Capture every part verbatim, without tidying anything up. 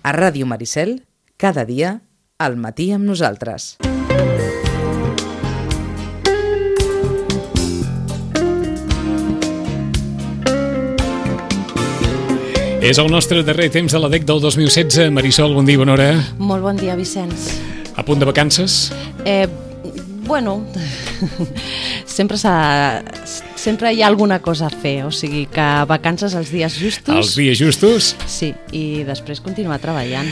A Ràdio Maricel, cada dia, al matí amb nosaltres. És el nostre darrer temps de la D E C del dos mil setze. Marisol, bon dia, bona hora. Molt bon dia, Vicenç. A punt de vacances? Eh, bueno, sempre s'ha... sempre hi ha alguna cosa a fer, o sigui que vacances els dies justos... Els dies justos? Sí, i després continuar treballant.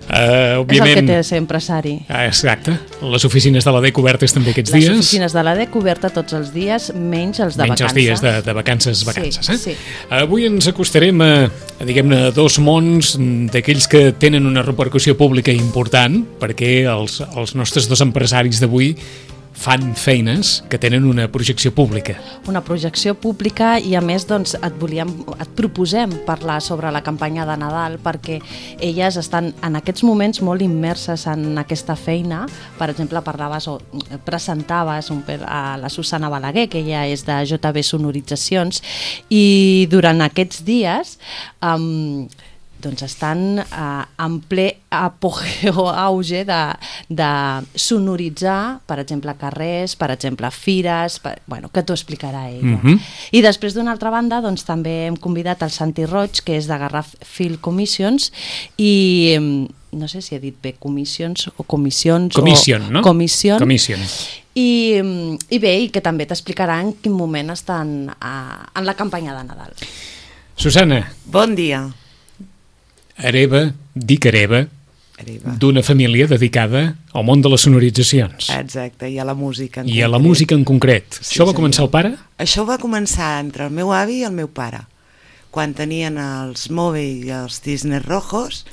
Uh, òbviament... És el que té ser empresari. Ah, exacte. Les oficines de la D E C obertes també aquests Les dies. Les oficines de la D E C obertes tots els dies, menys els de menys vacances. els dies de, de vacances, vacances. Sí, eh? sí. Avui ens acostarem a, a diguem-ne, dos mons d'aquells que tenen una repercussió pública important, perquè els, els nostres dos empresaris d'avui fan feines que tenen una projecció pública. Una projecció pública i a més doncs, et, volíem, et proposem parlar sobre la campanya de Nadal perquè elles estan en aquests moments molt immerses en aquesta feina. Per exemple, parlaves o presentaves un, a la Susana Balaguer, que ella és de J B Sonoritzacions, i durant aquests dies... Um, doncs estan eh, en ple apogeu, auge de, de sonoritzar, per exemple, carrers, per exemple, fires, per, bueno, que t'ho explicarà ella. Uh-huh. I després, d'una altra banda, doncs, també hem convidat el Santi Roig, que és de Garraf Film Commissions, i no sé si he dit bé Commissions o Comissions... Commission, o, no? Commission. Commission. I, I bé, i que també t'explicarà en quin moment estan a, en la campanya de Nadal. Susana. Bon dia. Hereva, dic hereva, hereva. d'una família dedicada al món de les sonoritzacions. Exacte, i a la música en I concret. a la música en concret. Sí, Això va senyor. començar el pare? Això va començar entre el meu avi i el meu pare. Quan tenien els Move i els Cisnes Rojos,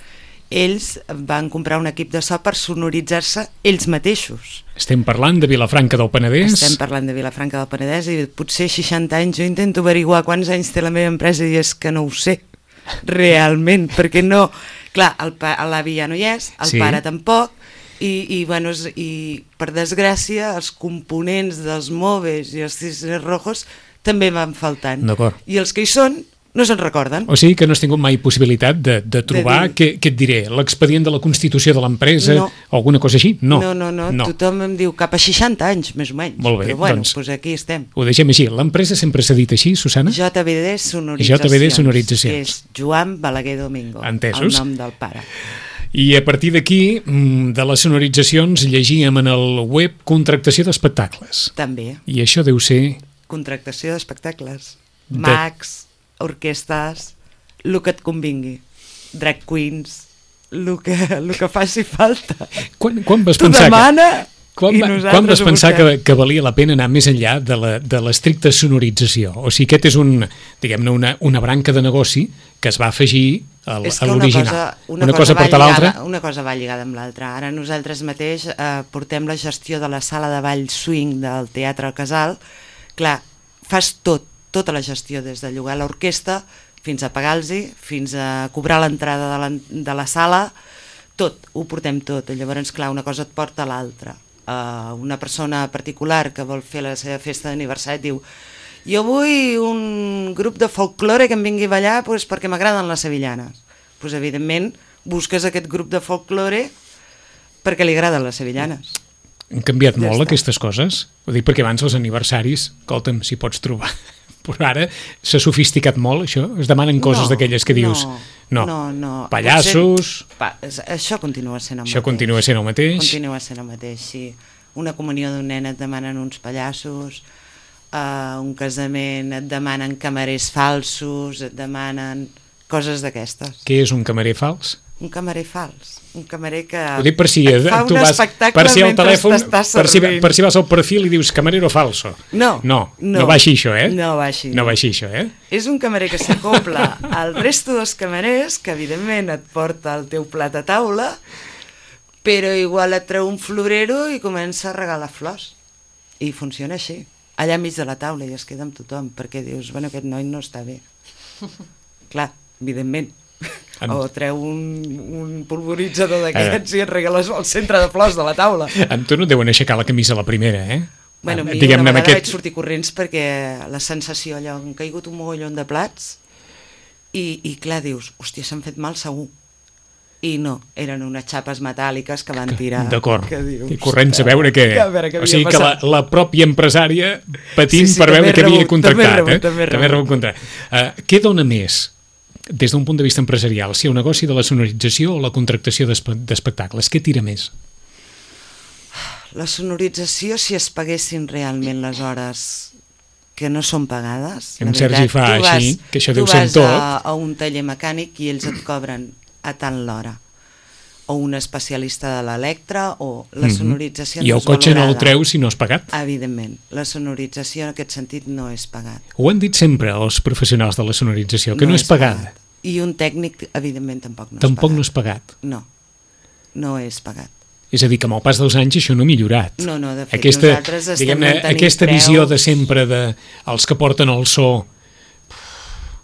ells van comprar un equip de so per sonoritzar-se ells mateixos. Estem parlant de Vilafranca del Penedès. Estem parlant de Vilafranca del Penedès i potser seixanta anys. Jo intento averiguar quants anys té la meva empresa i és que no ho sé. Realment, perquè no... Clar, l'avi ja no hi és, el sí. pare tampoc, i, i, bueno, i per desgràcia els components dels Moves i els Cisnes Rojos també van faltant. I els que hi són no se'n recorden. O sigui que no has tingut mai possibilitat de, de trobar, de dir... què, què et diré, l'expedient de la constitució de l'empresa no. o alguna cosa així? No. No, no, no, no, tothom em diu cap a seixanta anys, més o menys. Molt bé, però bueno, doncs, doncs aquí estem. Ho deixem així. L'empresa sempre s'ha dit així, Susana? J B D Sonoritzacions. J B D Sonoritzacions. Que és Joan Balaguer Domingo. Entesos. El nom del pare. I a partir d'aquí, de les sonoritzacions, llegíem en el web contractació d'espectacles. També. I això deu ser... Contractació d'espectacles. De... Mags, orquestes... el que et convingui, drag queens, el que, el que faci falta. Quan, quan vas tu pensar demana que, quan, i va, nosaltres quan vas pensar que, busquem. que valia la pena anar més enllà de la, de l'estricta sonorització? O sigui, aquest és un, diguem-ne, una, una branca de negoci que es va afegir a, a l'original. Una cosa, una una cosa, cosa porta l'altra. Una cosa va lligada amb l'altra. Ara nosaltres mateix eh, portem la gestió de la sala de ball swing del Teatre al Casal. Clar, fas tot, tota la gestió, des de llogar l'orquestra fins a pagar-los, fins a cobrar l'entrada de, la, de la sala, tot, ho portem tot. I llavors, clar, una cosa et porta a l'altra. Uh, una persona particular que vol fer la seva festa d'aniversari diu jo vull un grup de folklore que em vingui a ballar pues, perquè m'agraden les sevillanes. Pues, evidentment, busques aquest grup de folklore perquè li agraden les sevillanes. Han canviat ja molt està. Aquestes coses? Ho dic perquè abans els aniversaris, escolta'm, si pots trobar... Però ara s'ha sofisticat molt, això? Es demanen coses no, d'aquelles que dius... No, no, no. Pallassos... Potser, pa, això continua sent el això mateix. continua sent el mateix. Continua sent el mateix, sí. Una comunió d'un nen et demanen uns pallassos, uh, un casament et demanen camarers falsos, et demanen coses d'aquestes. Què és un camarer fals? Un camarer fals, un camarer que ho dic per si et fa tu un vas, espectacle per si al mentre telèfon, t'estàs per si, servint. per si vas al perfil i dius camarero falso. No, no, no, no va així això, eh? No va així. No va així això, eh? És un camarer que s'acopla al resto dels camarers, que evidentment et porta el teu plat a taula, però igual et treu un florero i comença a regalar flors. I funciona així, allà enmig de la taula, i es queda amb tothom, perquè dius, bueno, aquest noi no està bé. Clar, evidentment. En... o treu un, un polvoritzador d'aquests eh. i et regales al centre de flors de la taula. Amb tu no et deuen aixecar la camisa a la primera, eh? Bueno, a mi una vegada aquest... vaig sortir corrents perquè la sensació, allò, han caigut un mogollon de plats i, i clar, dius, hòstia, s'han fet mal segur. i no, eren unes xapes metàl·liques que van tirar. D'acord, que dius, i corrents a veure què... a veure què o sigui havia que la, passat. la pròpia empresària patint Sí, sí, per també veure què havia rebut, contractat. també rebut, eh? també també rebut. rebut contractat. Uh, què dona més, des d'un punt de vista empresarial, si el negoci de la sonorització o la contractació d'espe- d'espectacles? Què tira més? La sonorització, si es paguessin realment les hores que no són pagades... En la Sergi veritat, fa tu vas- així, que això tu deu ser vas tot. a, a un taller mecànic i ells et cobren a tant l'hora. O un especialista de l'electre, o la Mhm. sonorització I no el és cotxe no el valorada. treu si no has pagat. Evidentment, la sonorització en aquest sentit no és pagat. Ho han dit sempre els professionals de la sonorització, que no, és pagada. pagat. I un tècnic, evidentment, tampoc no Tampoc és no pagat. és pagat. No, no és pagat. És a dir, que amb el pas dels anys això no ha millorat. No, no, de fet, aquesta, nosaltres estem diguem-ne, mantenint aquesta preus. visió de sempre de els que porten el so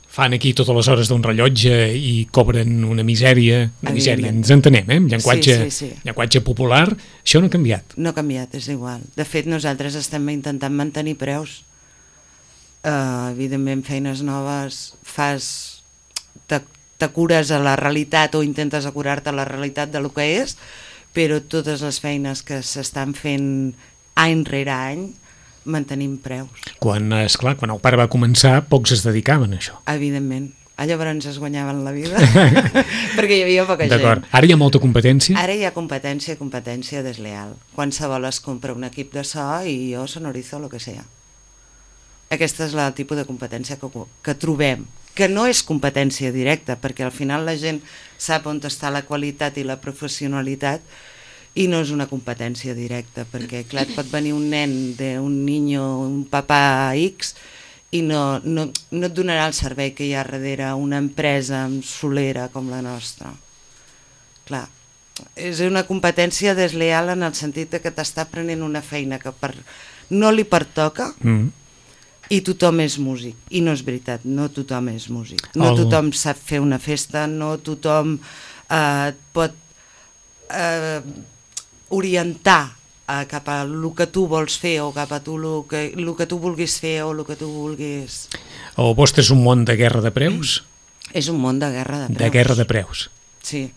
fan aquí totes les hores d'un rellotge i cobren una misèria, una misèria, Evidentment. ens entenem, eh? En llenguatge, Sí, sí, sí. llenguatge popular, això no ha canviat. No ha canviat, és igual. De fet, nosaltres estem intentant mantenir preus. Uh, evidentment, feines noves, fas... Te, te cures a la realitat o intentes acurar-te a la realitat de lo que és, però totes les feines que s'estan fent any rere any mantenim preus. Quan, esclar, quan el pare va començar, pocs es dedicaven a això. Evidentment. A llavors es guanyaven la vida, perquè hi havia poca gent. D'acord. Ara hi ha molta competència? Ara hi ha competència, competència desleal. Qualsevol es compra un equip de so i jo sonorizo lo que sea. Aquesta és el tipus de competència que, que trobem, que no és competència directa, perquè al final la gent sap on està la qualitat i la professionalitat i no és una competència directa, perquè clar, et pot venir un nen d'un niño, un papà X, i no, no, no et donarà el servei que hi ha darrere una empresa solera com la nostra. Clar, és una competència desleal en el sentit de que t'està prenent una feina que per, no li pertoca Mm. i tothom és músic. I no és veritat, no tothom és músic. No El- tothom sap fer una festa, no tothom eh, pot eh, orientar eh, cap a el que tu vols fer o cap a tu el que, el que tu vulguis fer o el que tu vulguis... El vostre és un món de guerra de preus? És un món de guerra de preus. De guerra de preus. Sí,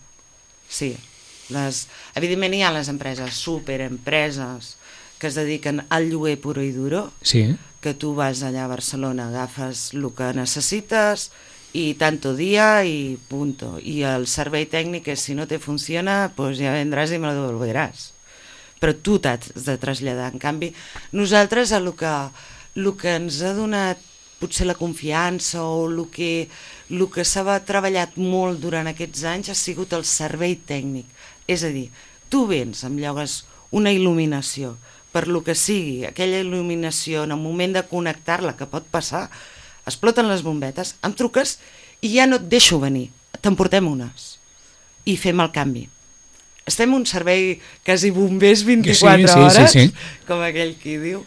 sí. Les, evidentment hi ha les empreses, superempreses, que es dediquen al lloguer puro i duro, Sí. que tu vas allà a Barcelona, agafes el que necessites i tanto dia i punto. I el servei tècnic és, si no te funciona, pues ja vendràs i me lo devolveràs. Però tu t'has de traslladar. En canvi, nosaltres el que, el que ens ha donat potser la confiança o el que, el que s'ha treballat molt durant aquests anys ha sigut el servei tècnic. És a dir, tu vens, em llogues una il·luminació, per lo que sigui, aquella il·luminació, en el moment de connectar-la, que pot passar, exploten les bombetes, em truques i ja no et deixo venir, t'emportem unes i fem el canvi. Estem un servei quasi bombers vint-i-quatre Sí, sí, hores, sí, sí. com aquell qui diu,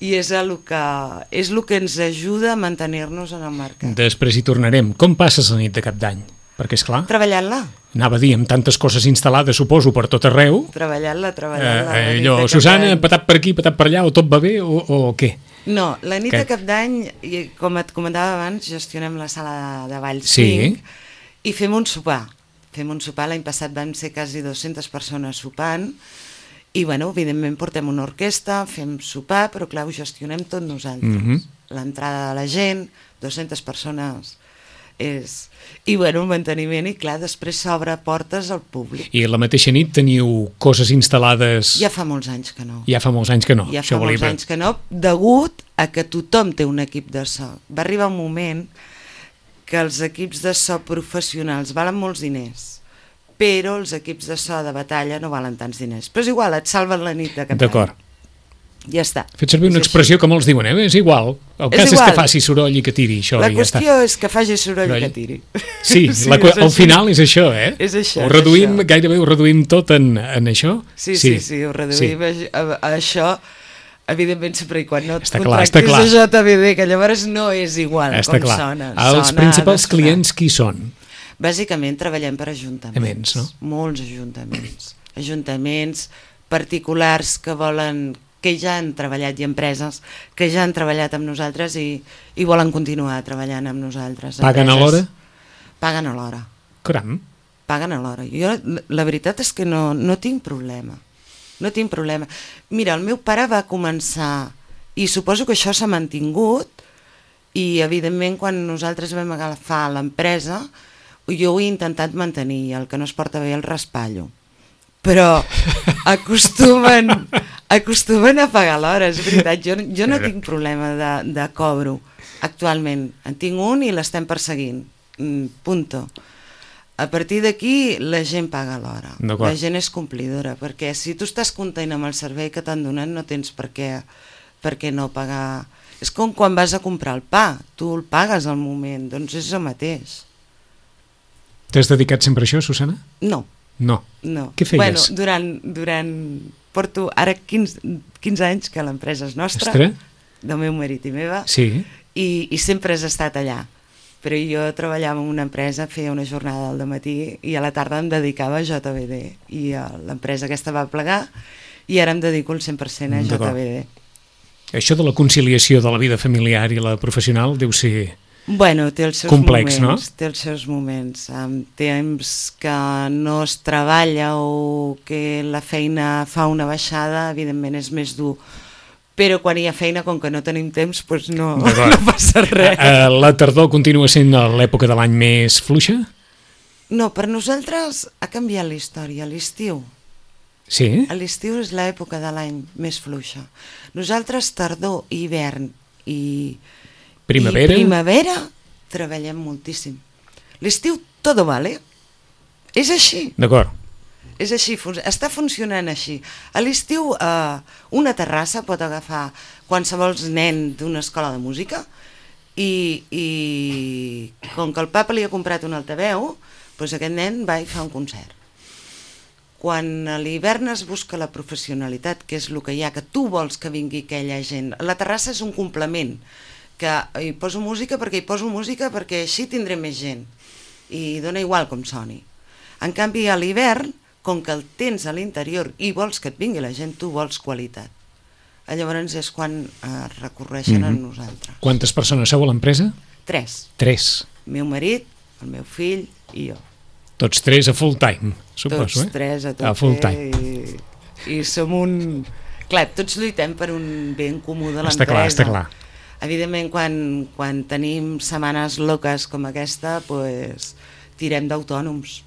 i és el que, és el que ens ajuda a mantenir-nos en el mercat. Després hi tornarem. Com passes la nit de cap d'any? Perquè, és clar, Treballant-la, anava a dir, amb tantes coses instal·lades, suposo, per tot arreu, treballant-la, eh, treballant-la. la eh, nit allò, de Cap Susana, d'Any. patat per aquí, patat per allà, o tot va bé, o, o què? No, la nit Que- de Cap d'Any, i com et comentava abans, gestionem la sala de ball Sí. swing i fem un sopar. Fem un sopar, l'any passat vam ser quasi dues-centes persones sopant i, bueno, evidentment portem una orquestra, fem sopar, però clar, ho gestionem tot nosaltres. Mhm. L'entrada de la gent, dues-centes persones és... I, bueno, el manteniment i, clar, després s'obre portes al públic. I la mateixa nit teniu coses instal·lades... Ja fa molts anys que no. Ja fa molts anys que no. Ja això fa volia molts dir. anys que no, degut a que tothom té un equip de so. Va arribar un moment que els equips de so professionals valen molts diners, però els equips de so de batalla no valen tants diners. Però és igual, et salven la nit de cap d'any. D'acord. Ja està. Fet servir una És expressió que molts diuen, eh? És igual. El És cas és, igual. que faci soroll i que tiri això La i ja està. qüestió és que faci soroll i Soroll. que tiri. Sí, la, és al així. final és això, eh? És això, Ho és reduïm, això. gairebé ho reduïm tot en, en això? Sí, sí, sí, ho reduïm a, a, a això, evidentment sempre i quan no et Està clar, està contractis clar. a J B D, que llavors no és igual Està com clar. sona. Els Sona principals descorat. clients qui són? Bàsicament treballem per ajuntaments, Aments, no? molts ajuntaments, ajuntaments particulars que volen, que ja han treballat i empreses que ja han treballat amb nosaltres i, i volen continuar treballant amb nosaltres. Paguen a Empreses- l'hora? Paguen a l'hora, Caram. paguen a l'hora. Jo, la veritat és que no, no tinc problema. No tinc problema. Mira, el meu pare va començar, i suposo que això s'ha mantingut, i evidentment quan nosaltres vam agafar l'empresa, jo ho he intentat mantenir, el que no es porta bé el raspallo. Però acostumen, acostumen a pagar l'hora, és veritat. Jo, jo no tinc problema de, de cobro actualment. En tinc un i l'estem perseguint. Punto. A partir d'aquí la gent paga l'hora. La gent és complidora, perquè si tu estàs content amb el servei que t'han donat no tens per què, per què no pagar. És com quan vas a comprar el pa, tu el pagues al moment, doncs és el mateix. T'has dedicat sempre a això, Susana? No. No. No. Què feies? Bueno, durant, durant... Porto ara quinze, quinze anys que l'empresa és nostra, Ostres. del meu marit i meva, sí. i, i sempre has estat allà. Però jo treballava en una empresa, feia una jornada al dematí i a la tarda em dedicava a J V D. I l'empresa aquesta va plegar i ara em dedico el cent per cent a J V D. Això de la conciliació de la vida familiar i la professional deu ser bueno, té els seus complex, moments, no? Té els seus moments. Amb temps que no es treballa o que la feina fa una baixada, evidentment és més dur. Però quan hi ha feina, com que no tenim temps, doncs no, no passa res. Uh, la tardor continua sent l'època de l'any més fluixa? No, per nosaltres ha canviat la història. L'estiu. Sí? L'estiu és l'època de l'any més fluixa. Nosaltres tardor, hivern i primavera, i primavera treballem moltíssim. L'estiu todo vale. És així. D'acord. És així, està funcionant així. A l'estiu eh, una terrassa pot agafar qualsevol nen d'una escola de música i, i com que el papa li ha comprat un altaveu, doncs aquest nen va i fa un concert. Quan a l'hivern es busca la professionalitat, que és el que hi ha, que tu vols que vingui aquella gent. La terrassa és un complement, que hi poso música perquè hi poso música perquè així tindré més gent. I dona igual com soni. En canvi, a l'hivern, com que el tens a l'interior i vols que et vingui la gent, tu vols qualitat. Llavors és quan eh, recorreixen mm-hmm. a nosaltres. Quantes persones sou a l'empresa? Tres. Tres. El meu marit, el meu fill i jo. Tots tres a full time, suposo, tots eh? tres a, a full time. I, i som un... Clar, tots lluitem per un bé en comú de l'empresa. Està clar, està clar. Evidentment, quan, quan tenim setmanes loques com aquesta, pues, tirem d'autònoms,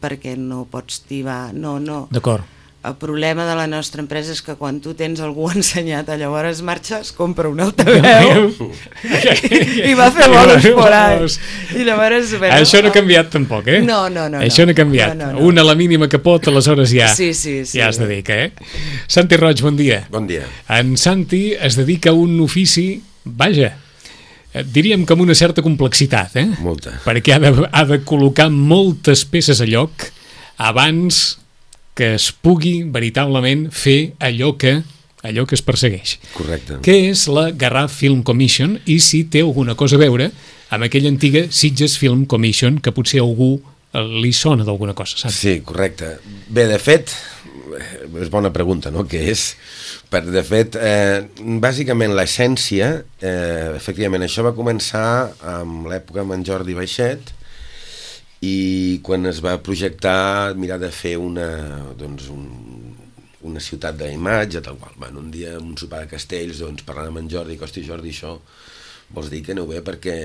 perquè no pots tibar... No, no. D'acord. El problema de la nostra empresa és que quan tu tens algú ensenyat, llavors marxes, compra un altaveu i, i va fer bolos por ahí. I llavors, bueno, això no ha canviat tampoc, eh? No, no, no. Això no ha canviat. No, no, no. Una a la mínima que pot, aleshores ja, sí, sí, sí. ja es dedica, eh? Santi Roig, bon dia. Bon dia. En Santi es dedica a un ofici, vaja, diríem que amb una certa complexitat, eh? Molta. Perquè ha de, ha de col·locar moltes peces a lloc abans que es pugui veritablement fer allò que allò que es persegueix. Correcte. Què és la Garraf Film Commission i si té alguna cosa a veure amb aquella antiga Sitges Film Commission que potser a algú li sona d'alguna cosa, saps? Sí, correcte. Bé, de fet, és bona pregunta, no?, què és? Per, de fet, eh, bàsicament l'essència, eh, efectivament, això va començar amb l'època amb en Jordi Baixet, i quan es va projectar mirar de fer una, doncs un, una ciutat d'imatge, tal qual. Bueno, un dia, en un sopar de Castells, doncs, parlant amb en Jordi, que, hosti, Jordi, això vols dir que aneu bé perquè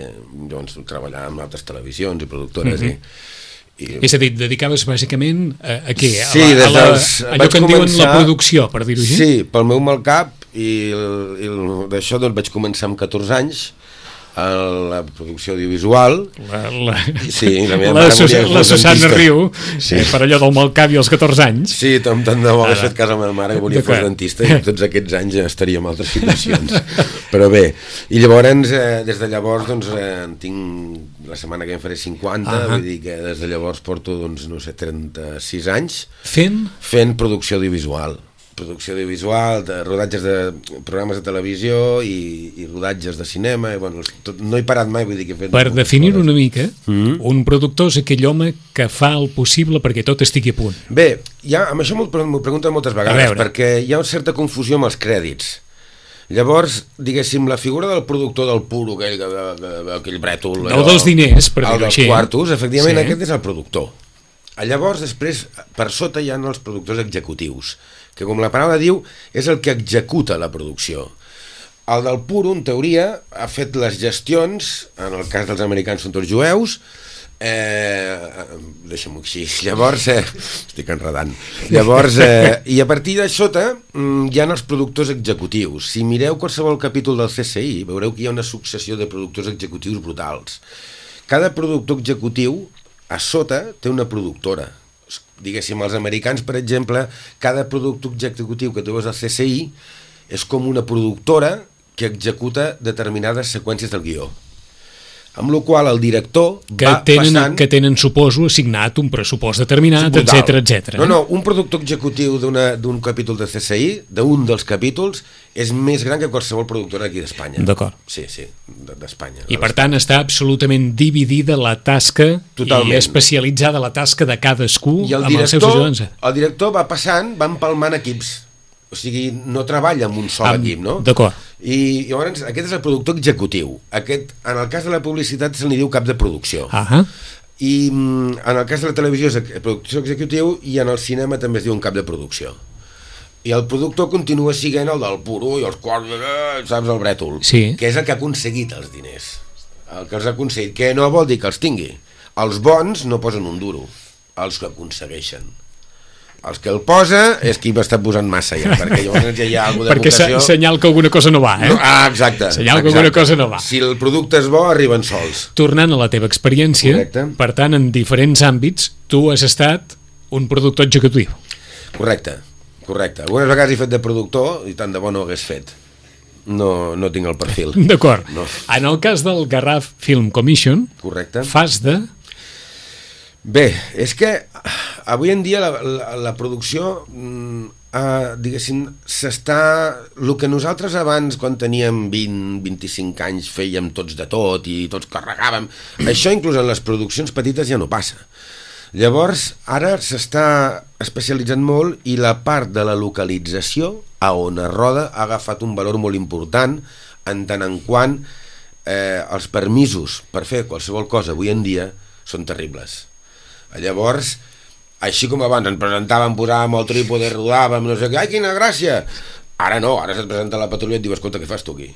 doncs, treballàvem amb altres televisions i productores mm-hmm. i, i... És a dir, dedicaves bàsicament a, a què? Sí, a la, a la, dels, allò que en començar... diuen la producció, per dir-ho així? Sí, pel meu mal cap, i, el, i el, d'això doncs, vaig començar amb catorze anys, a la producció audiovisual. La, la, sí, la, meva la, Susa, la Susana Riu, sí. eh, per allò del mal cap i als catorze anys. Sí, tant, tant de bo hagués fet cas a la meva mare que volia fos dentista i tots aquests anys ja estaríem en altres situacions. Però bé, i llavors, eh, des de llavors, doncs, eh, tinc la setmana que em faré cinquanta, uh-huh. vull dir que des de llavors porto, doncs, no sé, trenta-sis anys fent? Fent producció audiovisual. producció audiovisual, de rodatges de programes de televisió i, i rodatges de cinema, i, bueno, tot, no he parat mai, vull dir que he fet... Per definir una mica, mm-hmm. un productor és aquell home que fa el possible perquè tot estigui a punt. Bé, ja, amb això m'ho pregunten moltes vegades, perquè hi ha una certa confusió amb els crèdits. Llavors, diguéssim, la figura del productor del puro, aquell, aquell brètol... El dels diners, per dir-ho així. El dels quartos, efectivament, sí. Aquest és el productor. Llavors, després, per sota hi ha els productors executius, que com la paraula diu, és el que executa la producció. El del Puro, en teoria, ha fet les gestions, en el cas dels americans són tots jueus, eh, deixa'm-ho així, llavors, eh, estic enredant, llavors, eh, i a partir de sota hi ha els productors executius. Si mireu qualsevol capítol del C S I, veureu que hi ha una successió de productors executius brutals. Cada productor executiu, a sota, té una productora. Diguéssim, els americans, per exemple, cada productor executiu que tu veus al C S I és com una productora que executa determinades seqüències del guió. Amb la qual el director que va tenen, passant... Que tenen, suposo, assignat un pressupost determinat, brutal. etcètera, etcètera. No, no, un productor executiu d'un capítol de C S I, d'un dels capítols, és més gran que qualsevol productora aquí d'Espanya. D'acord. Sí, sí, d'Espanya. I per tant està absolutament dividida la tasca Totalment. I especialitzada la tasca de cadascú I el amb els seus ajudants. El director va passant, va empalmant equips. O sigui, no treballa amb un sol amb, equip, no? D'acord. I llavors aquest és el productor executiu. Aquest, en el cas de la publicitat se li diu cap de producció. Ahà. I en el cas de la televisió és el productor executiu i en el cinema també es diu un cap de producció. I el productor continua siguent el del Puro i els quals, saps, el brètol, sí. Que és el que ha aconseguit els diners. El que els ha aconseguit, que no vol dir que els tingui. Els bons no posen un duro, els que aconsegueixen. Els que el posa és qui va estar posant massa ja, perquè llavors ja hi ha alguna perquè vocació... Perquè senyal que alguna cosa no va, eh? No, ah, exacte. Senyal exacte. que alguna cosa no va. Si el producte és bo, arriben sols. Tornant a la teva experiència, correcte. Per tant, en diferents àmbits, tu has estat un productor executiu. Correcte, correcte. Algunes vegades he fet de productor i tant de bo no ho hagués fet. No, no tinc el perfil. D'acord. No. En el cas del Garraf Film Commission, correcte. Fas de... Bé, és que avui en dia la, la, la producció, eh, diguéssim, s'està... El que nosaltres abans, quan teníem vint, vint-i-cinc anys, fèiem tots de tot i tots carregàvem, això inclús en les produccions petites ja no passa. Llavors, ara s'està especialitzant molt i la part de la localització, a on es roda, ha agafat un valor molt important en tant en quant eh, els permisos per fer qualsevol cosa avui en dia són terribles. Llavors, així com abans ens presentàvem, posàvem el trípode, rodàvem, no sé què, ai, quina gràcia! Ara no, ara se't presenta la patrulla i et diu, escolta, què fas tu aquí?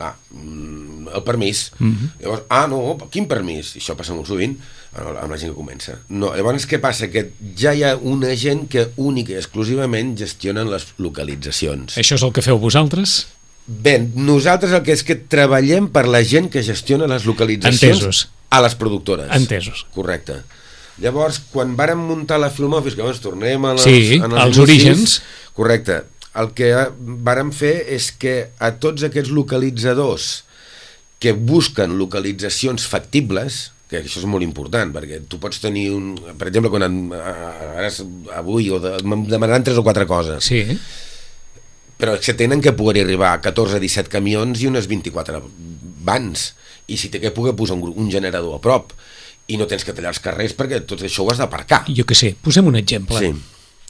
Ah, el permís. Mm-hmm. Llavors, ah, no, quin permís? I això passa molt sovint amb la gent que comença. No, llavors, què passa? Que ja hi ha una gent que única i exclusivament gestionen les localitzacions. Això és el que feu vosaltres? Bé, nosaltres el que és que treballem per la gent que gestiona les localitzacions. Entesos. A les productores. Entesos. Correcte. Llavors, quan vàrem muntar la Film Office, que llavors tornem a les, sí, en els orígens, correcte, el que vàrem fer és que a tots aquests localitzadors que busquen localitzacions factibles, que això és molt important, perquè tu pots tenir un... Per exemple, quan en, ara, avui o de, demanaran tres o quatre coses, sí. Però que tenen que poder arribar a catorze a disset camions i unes vint-i-quatre vans, i si té que poder posar un, un generador a prop, i no tens que tallar els carrers perquè tot això ho has d'aparcar. Jo què sé, posem un exemple. Sí.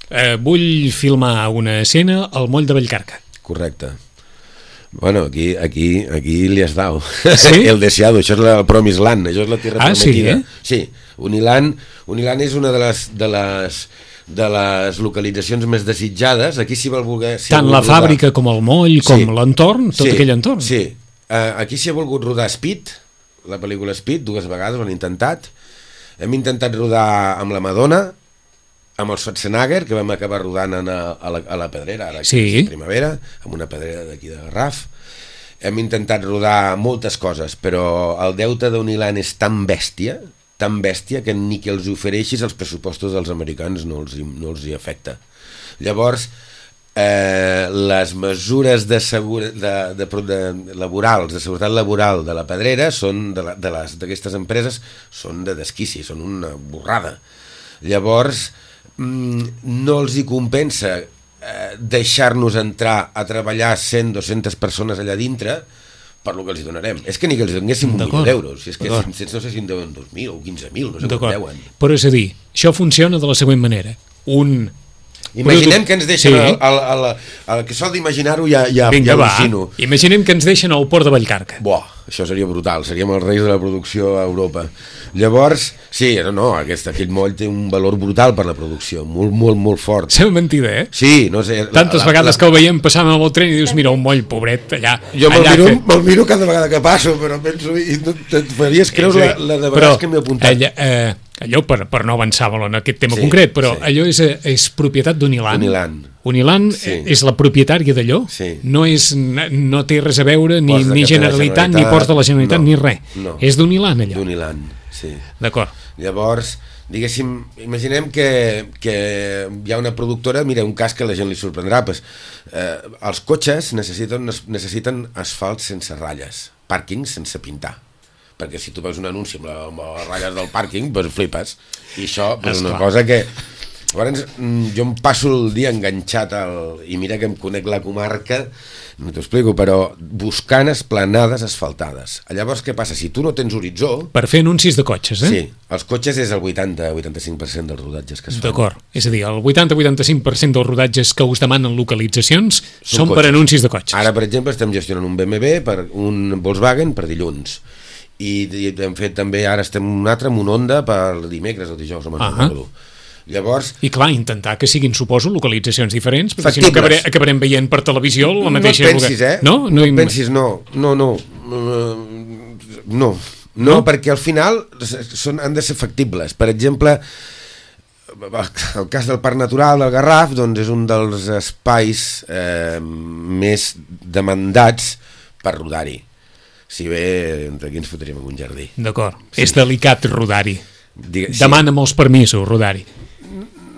Eh, vull filmar una escena al moll de Vallcarca. Correcte. Bueno, aquí, aquí, aquí li has dado. Sí? El deseado, això és el Promised Land, això és la tierra ah, prometida. Sí, eh? Sí, Uniland, Uniland és una de les, de les, de les localitzacions més desitjades. Aquí s'hi vol voler... Si tant la rodar... fàbrica com el moll, com sí. l'entorn, tot sí. aquell entorn. Sí, uh, aquí s'hi ha volgut rodar Speed, la pel·lícula Speed, dues vegades ho han intentat. Hem intentat rodar amb la Madonna, amb el Schwarzenegger, que vam acabar rodant a, a, la, a la Pedrera, ara sí. a primavera, amb una pedrera d'aquí de Garraf. Hem intentat rodar moltes coses, però el deute d'Uniland és tan bèstia, tan bèstia, que ni que els ofereixis els pressupostos dels americans no els, no els hi afecta. Llavors, Eh, les mesures de segura, de, de, de, laborals, de seguretat laboral de la Pedrera són de la, de les d'aquestes empreses són de desquici, són una borrada. Llavors mm, no els hi compensa eh, deixar-nos entrar a treballar cent, dues-centes persones allà dintre per lo que els hi donarem. És que ni que els donéssim un milió d'euros, és que no sé si en deuen dos mil o quinze mil, no sé com deuen. Però és a dir, això funciona de la següent manera. Un Imaginem que ens deixen, sí. el, el, el, el, el que sol d'imaginar-ho ja, ja, Vinga, ja al·lucino. Imaginem que ens deixen al port de Vallcarca. Buah. això seria brutal, seríem els reis de la producció a Europa. Llavors, sí, no, no aquest, aquell moll té un valor brutal per la producció, molt, molt, molt fort. Sembla mentida, eh? Sí, no sé... Tantes la, la, vegades la... que el veiem passant amb el tren i dius, mira, un moll pobret allà... Jo me'l allà miro, que... me'l miro cada vegada que passo, però penso... I no, et faries creure la, la de vegades però, que m'he apuntat. Allà, eh, allò, per, per no avançar molt en aquest tema Sí, concret, però sí. allò és, és propietat d'Unilan. Unilan. Unilan Sí. és la propietària d'allò, Sí. no, és, no té res a veure ni, Ports de ni la Generalitat, Generalitat, ni Ports de la Generalitat, no, ni res. no. És d'Unilan, allò. D'Unilan, sí. D'acord. Llavors, diguéssim, imaginem que, que hi ha una productora, mira, un cas que a la gent li sorprendrà, pues, eh, els cotxes necessiten, necessiten asfalt sense ratlles, pàrquings sense pintar, perquè si tu veus un anunci amb, la, amb les ratlles del pàrquing, pues flipes, i això és pues, una cosa que... Llavors, jo em passo el dia enganxat al... i mira que em conec la comarca, no t'ho explico, però buscant esplanades asfaltades. Llavors, què passa? Si tu no tens horitzó... Per fer anuncis de cotxes, eh? Sí, els cotxes és el vuitanta a vuitanta-cinc per cent dels rodatges que es fan. D'acord, és a dir, el vuitanta a vuitanta-cinc per cent dels rodatges que us demanen localitzacions són, són per cotxes. Anuncis de cotxes. Ara, per exemple, estem gestionant un B M W, per un Volkswagen per dilluns. I, i hem fet també, ara estem un altre amb un Honda per dimecres o dijous, no me'n Ah. recordo. Llavors... I clar, intentar que siguin, suposo, localitzacions diferents, perquè si no Factibles. acabaré, acabarem veient per televisió la mateixa... No et pensis, eh? No, no, no et pensis, no, no, no, no, no, no, perquè al final són, han de ser factibles. Per exemple, el cas del Parc Natural del Garraf, doncs és un dels espais eh, més demandats per rodar-hi. Si bé, entre aquí ens fotríem en un jardí. D'acord, sí. És delicat rodar-hi. Digue, sí. Demana molts permisos rodar-hi.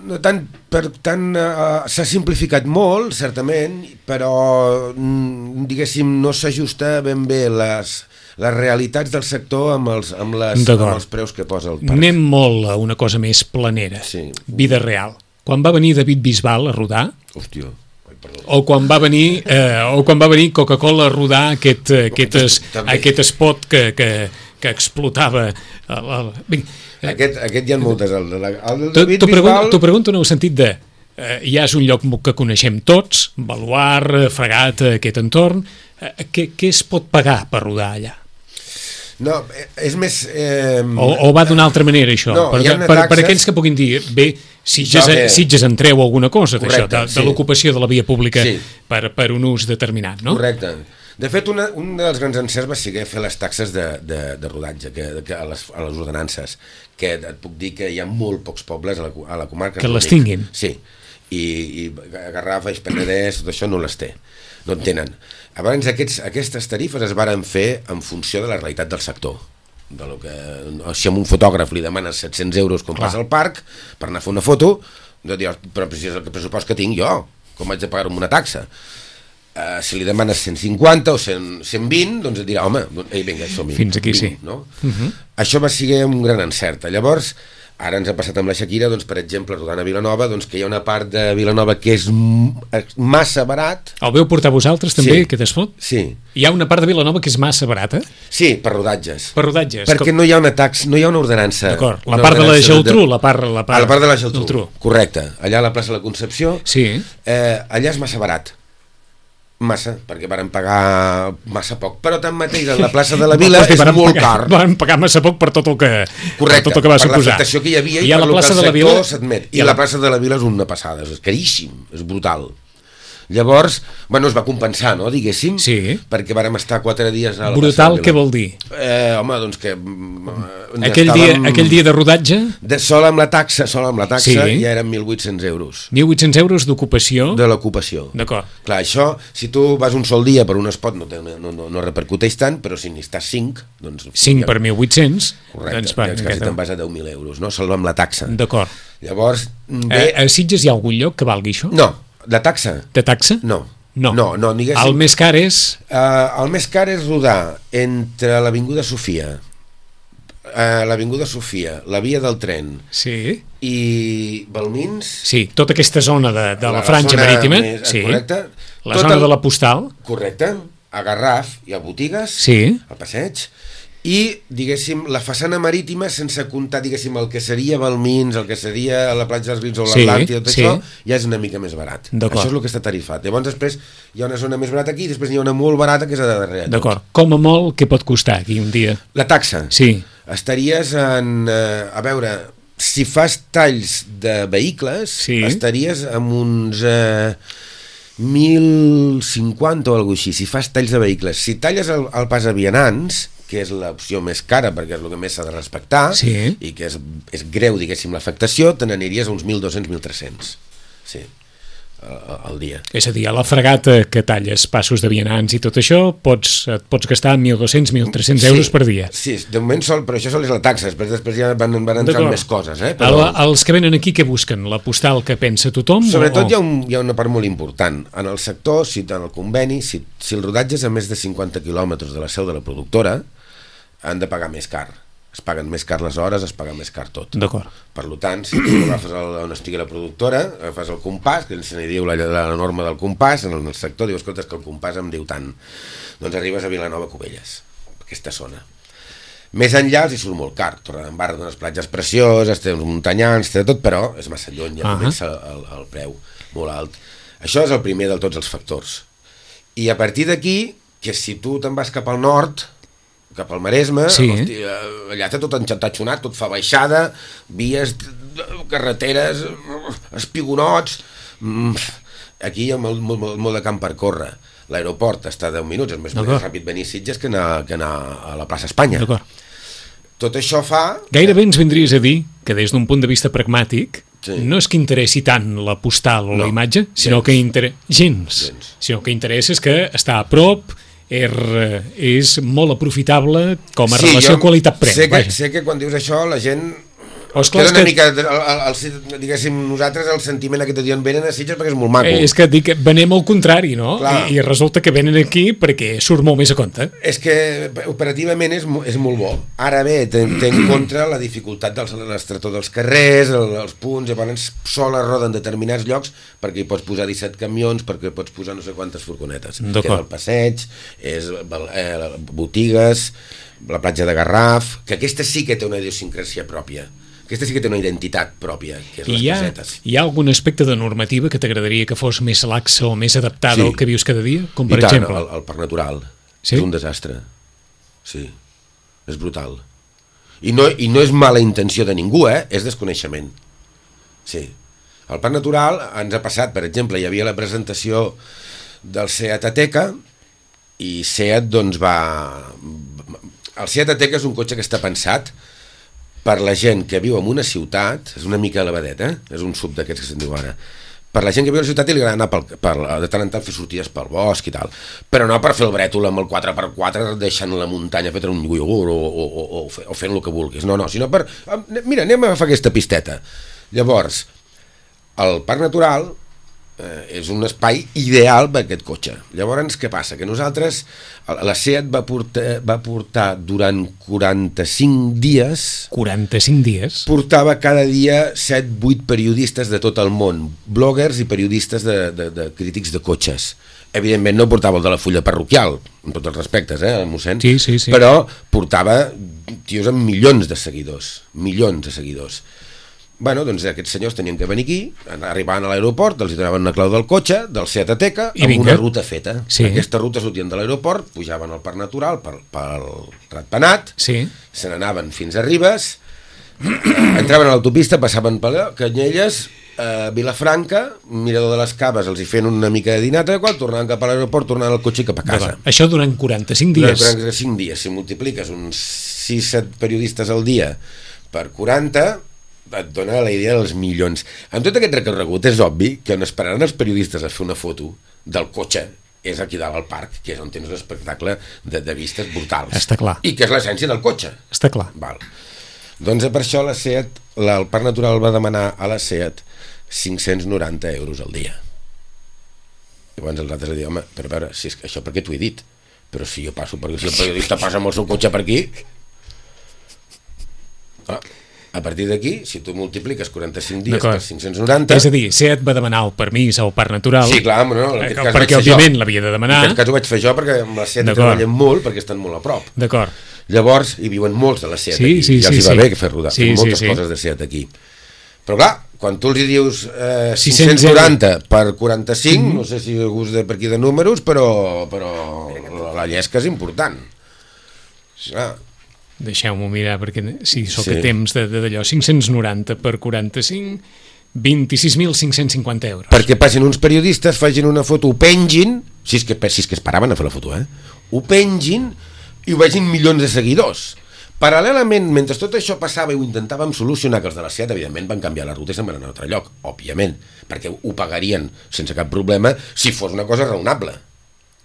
No tant, per tant, uh, s'ha simplificat molt, certament, però, mm, diguéssim, no s'ajusta ben bé les, les realitats del sector amb els, amb, les, amb els preus que posa el parc. Anem molt a una cosa més planera, sí. Vida real. Quan va venir David Bisbal a rodar... Hòstia, ai, perdó. O quan va venir, eh, o quan va venir Coca-Cola a rodar aquest, aquest, es, aquest spot que, que, que explotava... El, el... Vinga, Aquest, aquest hi ha moltes. El, el, el T'ho David pregunto, Bisbal... t'ho pregunto en el sentit de eh, ja és un lloc que coneixem tots, Baluard, Fregat, aquest entorn, eh, què, què es pot pagar per rodar allà? No, és més... Eh... O, o va d'una altra manera això? No, per, hi ha per, taxes... per aquells que puguin dir, bé, Sitges, que... Sitges en treu alguna cosa d'això, de, sí. de l'ocupació de la via pública sí. per, per un ús determinat, no? Correcte. De fet, una, un dels grans encerts va ser fer les taxes de, de, de rodatge que, que a, les, a les ordenances, que et puc dir que hi ha molt pocs pobles a la, a la comarca que les tinguin. Sí, i, i Garraf, Eix Penedès, tot això no les té, no en tenen. Abans aquests, aquestes tarifes es varen fer en funció de la realitat del sector. De lo que, si a un fotògraf li demanes set-cents euros quan passa al parc per anar a fer una foto, de dir, però si és el pressupost que tinc jo, com haig de pagar amb una taxa? Uh, si li demanes cent cinquanta o cent, cent vint, doncs et dirà, home, ei, vinga, som-hi. Fins aquí, vint, sí. No? Uh-huh. Això va ser un gran encert. Llavors, ara ens ha passat amb la Shakira, doncs, per exemple, rodant a Vilanova, doncs, que hi ha una part de Vilanova que és massa barat. El veu portar vosaltres també, Sí. aquest espot? Sí. Hi ha una part de Vilanova que és massa barata? Sí, per rodatges. Per rodatges. Perquè com... no hi ha una tax, no hi ha una ordenança. D'acord, la una part de la ordenança Geltrú, la part, la part... A la part de la Geltrú, Geltrú. correcte. Allà a la plaça de la Concepció, Sí. eh, allà és massa barat. Massa, perquè varen pagar massa poc, però tanmateix en la plaça de la Vila és molt pagar, car. Van pagar massa poc per tot el que, Correcte, per tot el que va per suposar. l'afectació que hi havia i, I a per la lo que plaça el de la sector Vila s'admet. I, I la... la la plaça de la Vila és una passada, és caríssim, és brutal. Llavors, bueno, es va compensar, no, diguéssim, Sí. perquè vàrem estar quatre dies a la Brutal, plaça de la què Vila. vol dir? Eh, home, doncs que... mm, Aquell dia, aquell dia de rodatge, De sol amb la taxa, sol amb la taxa, Sí. ja eren mil vuit-cents euros mil vuit-cents euros d'ocupació. de l'ocupació. D'acord. Clar, això, si tu vas un sol dia per un spot no, te, no, no, no repercuteix tant, però si n'hi estàs cinc, doncs... cinc per mil vuit-cents. Correcte, doncs, va, doncs quasi aquesta- te'n vas a deu mil euros, no? Sol amb la taxa. D'acord. Llavors, Eh, bé... a Sitges hi ha algun lloc que valgui això? No, de taxa? De taxa? No. No. No, no, diguéssim... El més car és... Uh, el més car és rodar entre l'Avinguda Sofia, uh, l'Avinguda Sofia, la via del tren Sí. i Balmins... Sí, tota aquesta zona de, de la, La franja zona marítima. més- Sí. correcte. La Tot zona el- de la postal. Correcte. A Garraf hi ha botigues, Sí. al passeig, i, diguéssim, la façana marítima, sense comptar, diguéssim, el que seria Balmins, el que seria la platja dels Vins o Sí, l'Atlàntida, tot sí. això, ja és una mica més barat. D'acord. Això és el que està tarifat. Llavors, després, hi ha una zona més barata aquí i després hi ha una molt barata que és a darrere. D'acord. Com a molt, què pot costar aquí un dia? La taxa. Sí. Estaries en... Eh, a veure, si fas talls de vehicles, Sí. estaries amb uns... Eh, mil cinquanta o alguna cosa així, si fas talls de vehicles. Si talles el, el pas a vianants, que és l'opció més cara perquè és el que més s'ha de respectar, Sí. i que és, és greu, diguéssim, l'afectació, te n'aniries a uns mil dos-cents a mil tres-cents. Sí, al, al dia. És a dir, a la fregata que talles passos de vianants i tot això, pots, et pots gastar mil dos-cents a mil tres-cents euros per dia. Sí, de moment sol, però això sol és la taxa, després, després ja van, van entrar D'acord. més coses. Eh? Però... El, els que venen aquí, què busquen? La postal que pensa tothom? Sobretot o... hi ha, un, hi ha una part molt important. En el sector, si, en el conveni, si, si el rodatge és a més de cinquanta quilòmetres de la seu de la productora, han de pagar més car. Es paguen més car les hores, es paga més car tot. D'acord. Per tant, si tu agafes el, on estigui la productora, agafes el compàs, que se n'hi diu la, la, la norma del compàs, en el sector dius, escolta, que el compàs em diu tant. Doncs arribes a Vilanova Cubelles, aquesta zona. Més enllà els hi surt molt car. Torredembarra té unes platges precioses, té uns muntanyans, té tot, però és massa lluny, ja Uh-huh. comença el, el preu molt alt. Això és el primer de tots els factors. I a partir d'aquí, que si tu te'n vas cap al nord, cap al Maresme, Sí. hosti, allà té tot enxatatxonat, tot fa baixada, vies, carreteres, espigonots... Aquí hi ha molt, molt, molt, molt de camp per córrer. L'aeroport està a deu minuts, és més, més ràpid venir a Sitges que anar, que anar a la plaça Espanya. D'acord. Tot això fa... Gairebé ens vindries a dir que des d'un punt de vista pragmàtic Sí. no és que interessi tant la postal o No, la imatge, sinó gens. que inter... gens. Gens. Sinó que interessa és que està a prop, és, és molt aprofitable com a Sí, relació jo qualitat-preu. sé, que, vaja. sé que quan dius això la gent... O esclar, Queda és una que- mica, el, el, el, diguéssim, nosaltres el sentiment aquest de dir venen a Sitges perquè és molt maco. Eh, és que dic que venem al contrari, no? Clar. I, I resulta que venen aquí perquè surt molt més a compte. És que operativament és, mo- és molt bo. Ara bé, té, té en contra la dificultat dels l'estretor dels carrers, el, els punts, llavors sola roda en determinats llocs perquè hi pots posar disset camions, perquè hi pots posar no sé quantes furgonetes. D'acord. Queda el passeig, és eh, botigues, la platja de Garraf, que aquesta sí que té una idiosincràsia pròpia. Aquesta sí que té una identitat pròpia, que és I les hi ha, casetes. hi ha algun aspecte de normativa que t'agradaria que fos més laxa o més adaptada Sí. al que vius cada dia? Com per I tant, exemple? el, el parc natural. Sí? És un desastre. Sí, és brutal. I no, I no és mala intenció de ningú, eh? És desconeixement. Sí. El parc natural ens ha passat, per exemple, hi havia la presentació del Seat Ateca i Seat doncs va... El Seat Ateca és un cotxe que està pensat per la gent que viu en una ciutat, és una mica elevadet, eh? És un sub d'aquests que se'n diu ara, per la gent que viu a la ciutat i li agrada anar pel, per, de tant en tant fer sortides pel bosc i tal, però no per fer el brètol amb el quatre per quatre deixant la muntanya fet un iogurt o, o, o, o, fe- o fent el que vulguis, no, no, sinó per mira, anem a agafar aquesta pisteta. Llavors el parc natural eh, és un espai ideal per aquest cotxe. Llavors què passa? Que nosaltres la Seat va portar, va portar durant quaranta-cinc dies quaranta-cinc dies? portava cada dia set vuit periodistes de tot el món, bloggers i periodistes de, de, de crítics de cotxes. Evidentment no portava el de la fulla parroquial, amb tots els respectes, eh, mossèn? Sí, sí, sí. Però portava tios amb milions de seguidors, milions de seguidors. Bueno, doncs aquests senyors tenien que venir aquí, arribaven a l'aeroport, els hi donaven una clau del cotxe, del Seat Ateca, I amb vinga. una ruta feta. Sí. Aquesta ruta sortien de l'aeroport, pujaven al parc natural pel, pel Ratpenat, Sí. se n'anaven fins a Ribes, entraven a l'autopista, passaven per allà, Canyelles, eh, Vilafranca, Mirador de les Caves, els hi feien una mica de dinata, quan tornaven cap a l'aeroport, tornaven al cotxe i cap a casa. D'acord. Això durant quaranta-cinc Durant dies. quaranta-cinc dies, si multipliques uns sis set periodistes al dia per quaranta, et dona la idea dels milions. Amb tot aquest recorregut és obvi que on esperaran els periodistes a fer una foto del cotxe és aquí dalt al parc, que és on tens un espectacle de, de vistes brutals. Està clar. I que és l'essència del cotxe. Està clar. Val. Doncs per això la Seat, la, el Parc Natural va demanar a la Seat cinc-cents noranta euros al dia. Llavors els altres li diuen, home, però a veure, si és que això perquè t'ho he dit, però si jo passo, perquè si el periodista passa amb el seu cotxe per aquí... Ah, a partir d'aquí, si tu multipliques quaranta-cinc dies D'acord. per cinc-cents noranta... És a dir, Seat va demanar el permís al Parc Natural. Sí, clar, no, en aquest eh, cas vaig perquè fer òbviament jo. l'havia de En demanar. aquest cas ho vaig fer jo perquè amb la Seat hi D'acord. treballem molt perquè estan molt a prop. D'acord. Llavors hi viuen molts de la SEAT sí, aquí, sí, ja sí, els hi va sí. bé fer rodar, Sí, sí, moltes sí, sí. coses de SEAT aquí. Però clar, quan tu els hi dius eh, sis-cents cinc-cents noranta per quaranta-cinc, mm-hmm. no sé si a gust de per aquí de números, però, però la llesca és important. Clar. Deixeu-m'ho mirar, perquè si sóc Sí. a temps de- de- d'allò, cinc-cents noranta per quaranta-cinc, vint-i-sis mil cinc-cents cinquanta euros. Perquè passin uns periodistes, facin una foto, ho pengin, si és que, si és que es paraven a fer la foto, eh? Ho pengin i ho vegin milions de seguidors. Paral·lelament, mentre tot això passava i ho intentàvem solucionar, que els de la SEAT, evidentment, van canviar la ruta i se'n van anar a un altre lloc, òbviament, perquè ho pagarien sense cap problema si fos una cosa raonable.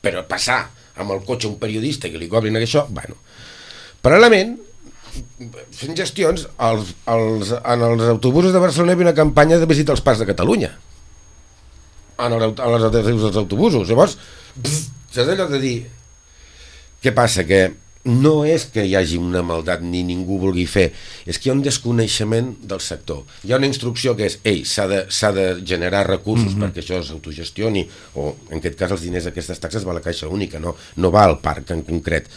Però passar amb el cotxe un periodista i que li cobrin això, bueno. Paral·lelament, fent gestions, els, els, en els autobusos de Barcelona hi havia una campanya de visita als parcs de Catalunya. En el, a les alternatives dels autobusos. Llavors, pff, saps allò de dir... Què passa? Que no és que hi hagi una maldat ni ningú vulgui fer, és que hi ha un desconeixement del sector. Hi ha una instrucció que és, ei, s'ha de, s'ha de generar recursos mm-hmm. perquè això s'autogestioni, o en aquest cas els diners d'aquestes taxes va a la caixa única, no, no va al parc en concret.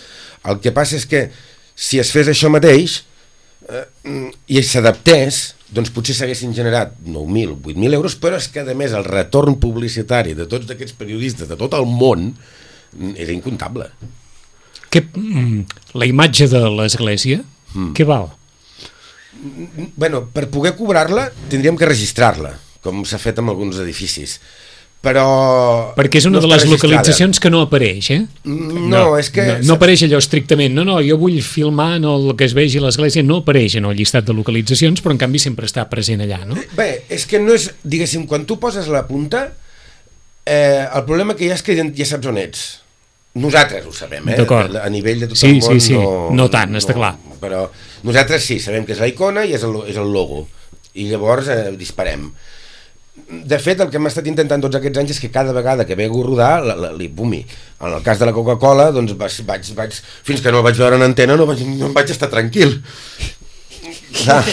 El que passa és que si es fes això mateix eh, i s'adaptés, doncs potser s'haguessin generat nou mil, vuit mil euros, però és que a més el retorn publicitari de tots aquests periodistes de tot el món era incomptable. Que, la imatge de l'església, mm. què val? Bueno, per poder cobrar-la tindríem que registrar-la, com s'ha fet amb alguns edificis. Però... Perquè és una no de les registrada. localitzacions que no apareix, eh? No, no és que... No, no apareix allò estrictament. No, no, jo vull filmar no, el que es vegi a l'església, no apareix en el llistat de localitzacions, però en canvi sempre està present allà, no? Bé, és que no és... Diguéssim, quan tu poses la punta, eh, el problema que hi ha és que ja saps on ets. Nosaltres ho sabem, eh? D'acord. A nivell de tot sí, el món sí, sí. no... No tant, està clar. Però nosaltres sí, sabem que és la icona i és el, és el logo. I llavors eh, disparem. De fet, el que hem estat intentant tots aquests anys és que cada vegada que vego a rodar, la, la, li pumi. En el cas de la Coca-Cola, doncs vaig, vaig, vaig, fins que no el vaig veure en antena no, vaig, no em vaig estar tranquil. Clar,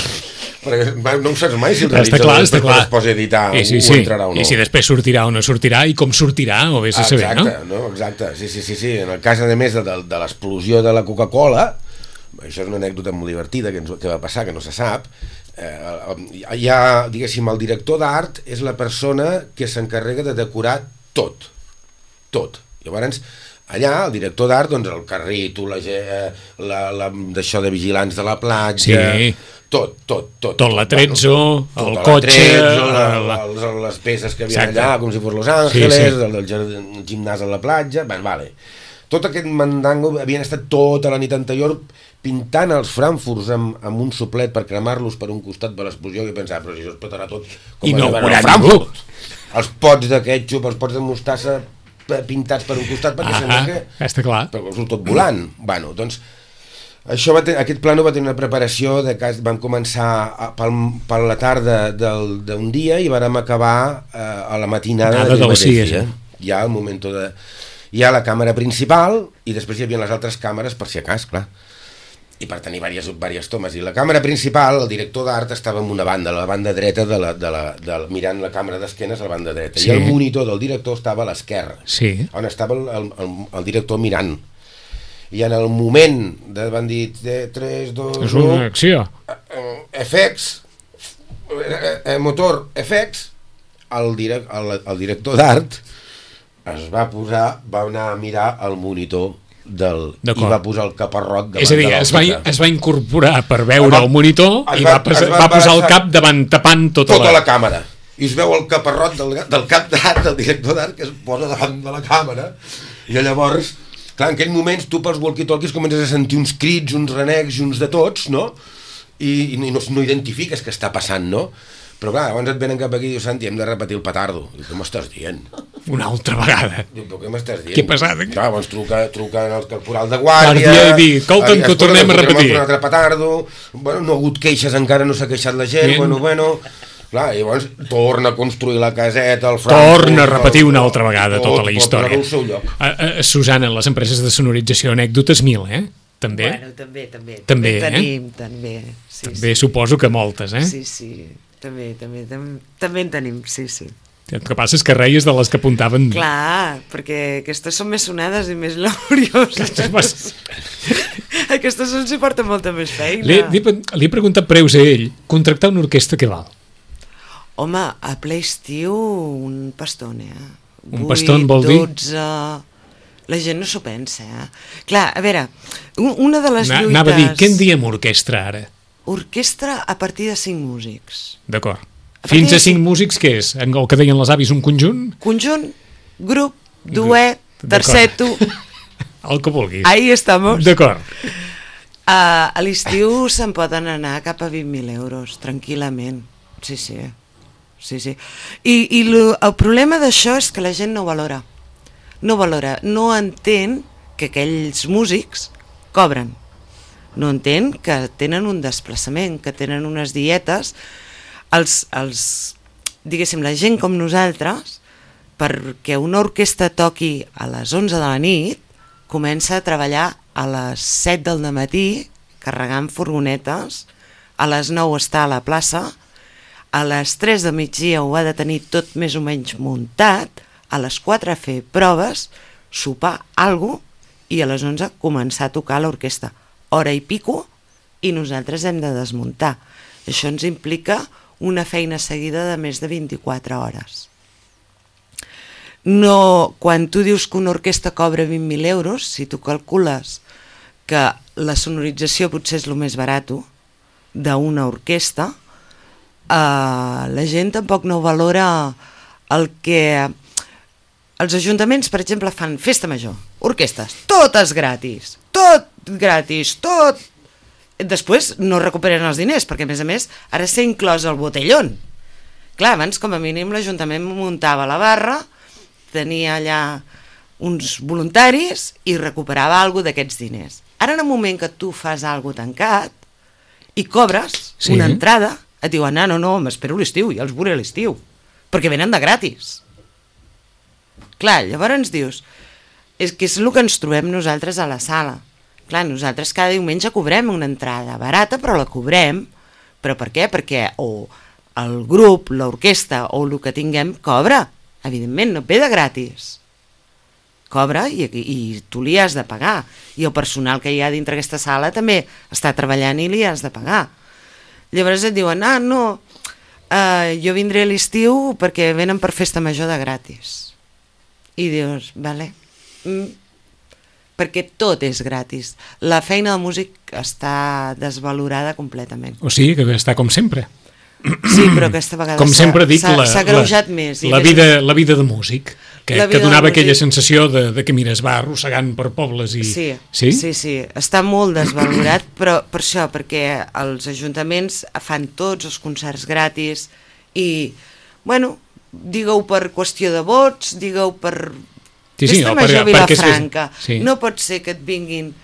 perquè no ho saps mai si el realitzador després es posa a editar I sí, o, sí. o entrarà o no. I si després sortirà o no sortirà i com sortirà, o vés a saber, no? Exacte, no? Exacte, sí, sí, sí, sí. En el cas, a més, de, de, de l'explosió de la Coca-Cola, això és una anècdota molt divertida que, ens, que va passar, que no se sap, eh, hi ha, diguéssim, el director d'art és la persona que s'encarrega de decorar tot, tot. Llavors, allà, el director d'art, doncs, el carrito, la, la, la, d'això de vigilants de la platja... Sí. Tot, tot, tot. Tot l'atrezzo, bueno, el tot cotxe... la, la... les, les peces que havia allà, com si fos Los Ángeles, sí, sí. El, el, el gimnàs a la platja... Bé, vale. Tot aquest mandango havien estat tota la nit anterior pintant els frankfurts amb, amb un soplet per cremar-los per un costat de l'explosió i pensava, però si això es petarà tot com I no a veure, Frankfurt. Els pots de ketchup, els pots de mostassa pintats per un costat perquè ah, sembla que... Està clar. Però surt tot volant. Bueno, doncs... Això va ten, aquest plano va tenir una preparació de que vam començar a, pel, per la tarda d'un dia i vàrem acabar eh, a la matinada Nada del mateix dia. Hi ha el moment de... Hi ha la càmera principal i després hi havia les altres càmeres per si a cas, clar. I per tenir diverses, diverses tomes. I la càmera principal, el director d'art estava en una banda, la banda dreta, de la, de la, de la, mirant la càmera d'esquenes a la banda dreta. Sí. I el monitor del director estava a l'esquerra, sí. On estava el, el, el, el director mirant. I en el moment de, van dir tres, dos, és una acció. Efects, eh, motor, efects, el, direc, el, el director d'art es va posar, va anar a mirar el monitor del, i va posar el caparrot davant. És a dir, de es va, es va incorporar per veure va, el monitor i va, va, va, va posar el cap davant, tapant tota, tota la... la càmera. I es veu el caparrot del, del cap d'art, del director d'art, que es posa davant de la càmera. I llavors... Clar, en aquells moments tu pels walkie-talkies comences a sentir uns crits, uns renecs i uns de tots, no? I, i no, no identifiques què està passant, no? Però clar, abans et venen cap aquí i dius, Santi, hem de repetir el petardo. I què m'estàs dient? Una altra vegada. Diu, però què m'estàs dient? Què ha passat? Clar, llavors truca, truca al corporal de guàrdia... Guàrdia i dir, escolta'm, que ho tornem a repetir. Un altre petardo, bueno, no ha hagut queixes, encara no s'ha queixat la gent, Bien. bueno, bueno... Clar, llavors torna a construir la caseta, el Frankfurt... Torna a repetir una altra vegada tot, tota la història. Tot seu lloc. A, a, Susana, les empreses de sonorització, anècdotes mil, eh? També? Bueno, també, també. També, també eh? tenim, també. Sí, també sí. Suposo que moltes, eh? Sí, sí, també, també, també, també en tenim, sí, sí. El que passa és que reies de les que apuntaven... Clar, perquè aquestes són més sonades i més laborioses. Aquestes ens hi porten molta més feina. Li, li, li he preguntat preus a ell. Contractar una orquestra, què val? Home, a ple estiu un paston, eh? Un paston vol dir? dotze... La gent no s'ho pensa, eh? Clar, a veure, una de les Na, lluites... Anava a dir, què en diem orquestra ara? Orquestra a partir de cinc músics. D'acord. A Fins partir a de cinc cinc- músics, què és? El que deien les avis, un conjunt? Conjunt, grup, duet, D'acord. terceto... El que vulguis. Ahí estamos. D'acord. Uh, a l'estiu se'n poden anar cap a vint mil euros, tranquil·lament. Sí, sí. sí, sí. I, i lo, el problema d'això és que la gent no valora. No valora, no entén que aquells músics cobren. No entén que tenen un desplaçament, que tenen unes dietes. Els, els, diguéssim, la gent com nosaltres, perquè una orquestra toqui a les onze de la nit, comença a treballar a les set del matí, carregant furgonetes, a les nou està a la plaça, a les tres de migdia ho ha de tenir tot més o menys muntat, a les quatre fer proves, sopar alguna cosa, i a les onze començar a tocar l'orquestra. Hora i pico, i nosaltres hem de desmuntar. Això ens implica una feina seguida de més de vint-i-quatre hores. No, quan tu dius que una orquestra cobra vint mil euros, si tu calcules que la sonorització potser és el més barat d'una orquestra, eh, la gent tampoc no valora el que... Els ajuntaments, per exemple, fan festa major, orquestres, totes gratis, tot gratis, tot... Després no recuperen els diners, perquè a més a més ara s'ha inclòs el botellón. Clar, abans com a mínim l'Ajuntament muntava la barra, tenia allà uns voluntaris i recuperava alguna d'aquests diners. Ara en el moment que tu fas alguna tancat i cobres Sí. una entrada, et diuen, ah, no, no, m'espero l'estiu, ja els veuré a l'estiu, perquè venen de gratis. Clar, llavors ens dius, és que és el que ens trobem nosaltres a la sala. Clar, nosaltres cada diumenge cobrem una entrada barata, però la cobrem. Però per què? Perquè o el grup, l'orquestra o el que tinguem cobra. Evidentment, no ve de gratis. Cobra i, i tu li has de pagar. I el personal que hi ha dintre aquesta sala també està treballant i li has de pagar. Llavors et diuen, ah, no, uh, jo vindré a l'estiu perquè venen per festa major de gratis. I dius, vale, mm, perquè tot és gratis. La feina del músic està desvalorada completament. O sigui que està com sempre. Sí, però aquesta vegada Com sempre dic, s'ha la, s'ha greujat més. I la, més- vida, la vida de músic, que, La vida que donava de aquella músic. sensació de, de que, mira, es va arrossegant per pobles i... Sí, sí? sí, sí, està molt desvalorat, però per això, perquè els ajuntaments fan tots els concerts gratis i, bueno, digue-ho per qüestió de vots, digue-ho per Sí, sí, festa no, major perquè- perquè és que- Vilafranca. sí. No pot ser que et vinguin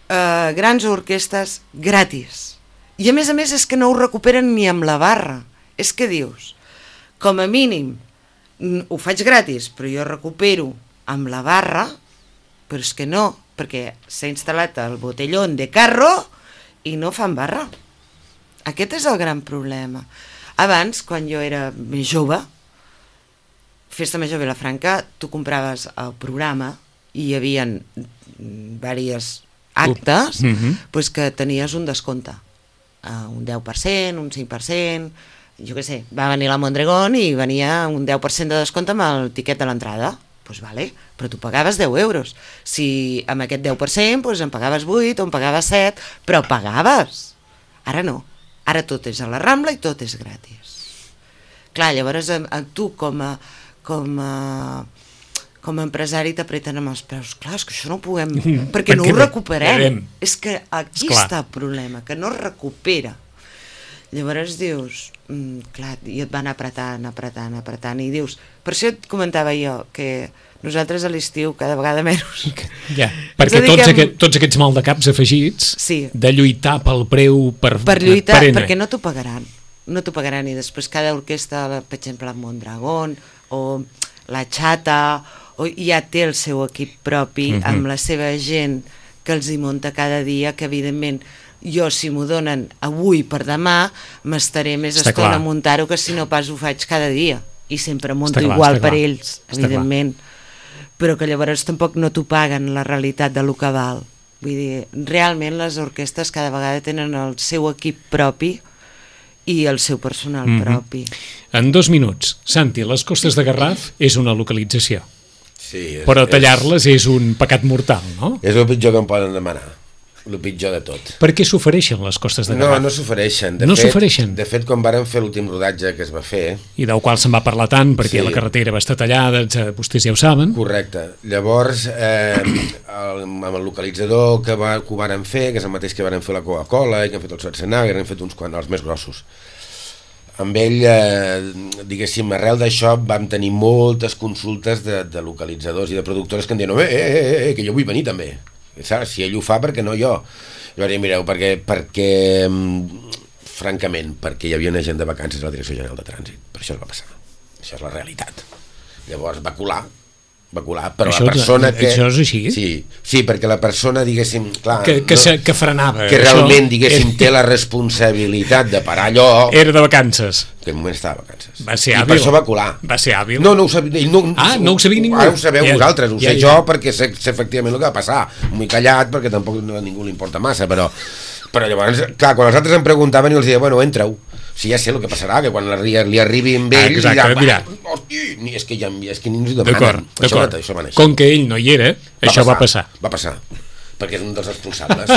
eh, grans orquestes gratis. I a més a més és que no ho recuperen ni amb la barra. És que dius, com a mínim, n- ho faig gratis, però jo recupero amb la barra, però és que no, perquè s'ha instal·lat el botellón de carro i no fan barra. Aquest és el gran problema. Abans, quan jo era més jove, Festa Major Vilafranca, tu compraves el programa i hi havia diversos actes Uh, mhm. pues que tenies un descompte. Uh, un deu per cent, un cinc per cent, jo què sé, va venir la Mondragón i venia un deu per cent de descompte amb el tiquet de l'entrada. Doncs pues vale, però tu pagaves deu euros. Si amb aquest deu per cent pues en pagaves vuit o en pagaves set, però pagaves. Ara no. Ara tot és a la Rambla i tot és gratis. Clar, llavors a, a tu com a, com a, com a empresari t'apreten amb els peus. Clar, és que això no ho puguem... perquè no ho recuperem. recuperem. És que aquí Esclar. està el problema, que no es recupera. Llavors dius, mm, clar, i et van apretant, apretant, apretant, i dius... Per això et comentava jo que nosaltres a l'estiu cada vegada menys... Ja, perquè dediquem- tots, aquest, tots aquests maldecaps afegits Sí. de lluitar pel preu per, per lluitar, per ene. perquè no t'ho pagaran. No t'ho pagaran, i després cada orquestra, la- per exemple, la Mondragón o la Xata, o ja té el seu equip propi, Mhm. amb la seva gent que els hi munta cada dia, que evidentment jo, si m'ho donen avui per demà, m'estaré més Està estona clar. a muntar-ho que si no pas ho faig cada dia. I sempre munto Està clar, igual està per clar. ells, Està evidentment. Però que llavors tampoc no t'ho paguen la realitat de lo que val. Vull dir, realment les orquestres cada vegada tenen el seu equip propi i el seu personal mm-hmm. propi. En dos minuts, Santi, les Costes de Garraf és una localització. Sí, és, però tallar-les és... és un pecat mortal, no? És el pitjor que em poden demanar. El pitjor de tot. Per què s'ofereixen les Costes de Garraf? No, no s'ofereixen. No s'ofereixen? De fet, quan vàrem fer l'últim rodatge que es va fer... I del qual se'n va parlar tant, perquè sí. la carretera va estar tallada, vostès ja ho saben. Correcte. Llavors, eh, el, amb el localitzador que, va, que ho vàrem fer, que és el mateix que vàrem fer la Coca-Cola, i que han fet el Schwarzenegger, han fet uns quants, els més grossos. Amb ell, eh, diguéssim, arrel d'això vam tenir moltes consultes de, de localitzadors i de productores que em diuen eh, eh, eh, eh, que jo vull venir també. Saps? Si ell ho fa, per què no jo? Jo vaig dir, mireu, perquè, perquè francament, perquè hi havia una gent de vacances a la Direcció General de Trànsit. Per això es va passar. Això és la realitat. Llavors va colar, va colar, però això, la persona que... Això és així? Sí, sí, perquè la persona, diguéssim, clar... Que, que, no, se, que frenava. Que realment, això... diguéssim, té la responsabilitat de parar allò... Era de vacances. Que en moment estava de vacances. Va ser I hàbil. per això va colar. Va ser hàbil. No, no ho sabia. No, ah, no ho sabia ningú. Ara ho sabeu ja, vosaltres, ho ja, sé ja. jo perquè sé, sé efectivament el que va passar. M'he callat perquè tampoc a ningú li importa massa, però... Però llavors, clar, quan els altres em preguntaven i els deia, bueno, entra-ho. Si ja sé el que passarà, que quan li, li arribi amb ell... Ah, exacte, dirà, hosti, és que, ja, és que ningú s'ho demanen. D'acord, d'acord. Com que ell no hi era, va això passar, va passar. Va passar, perquè és un dels responsables.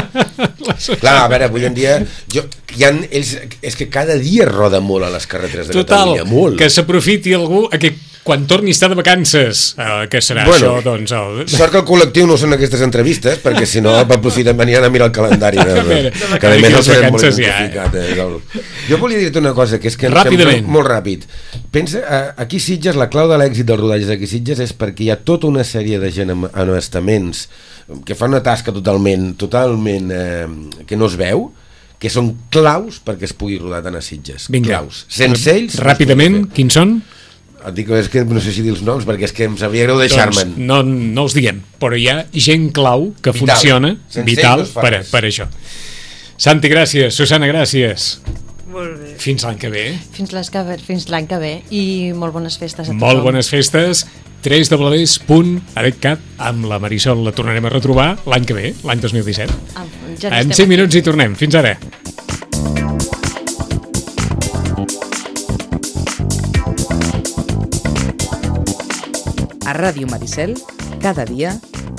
Clar, a veure, avui en dia... Jo, hi ha, ells, és que cada dia roda molt a les carreteres de Total, Catalunya, molt. Que s'aprofiti algú a que quan torni a estar de vacances, eh, que serà bueno, això, doncs... El... Sort que el col·lectiu no són aquestes entrevistes, perquè si no aprofiten, venien a mirar el calendari. De, a veure, que a més els vacances ja. Eh? Jo volia dir-te una cosa, que és que... Ràpidament. Que, molt ràpid. Pensa, aquí Sitges, la clau de l'èxit dels rodatges d'aquí Sitges és perquè hi ha tota una sèrie de gent amb, amb estaments que fan una tasca totalment, totalment eh, que no es veu, que són claus perquè es pugui rodar tant a Sitges. Vinga. Claus. Sense ells... Ràpidament, quins són? Et dic, és que no sé si dir els noms, perquè és que em sabria greu deixar-me'n. Doncs no, no els diguem, però hi ha gent clau que vital. Funciona, Sense vital, no per, per això. Santi, gràcies. Susana, gràcies. Molt bé. Fins l'any que ve. Fins l'any que ve. I molt bones festes a tothom. Molt bones festes. tres w punt aretcat amb la Marisol la tornarem a retrobar l'any que ve, l'any dos mil disset. Ah, ja en cinc minuts hi tornem. Fins ara. A Ràdio Maricel, cada dia,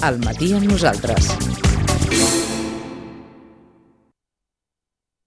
al matí amb nosaltres.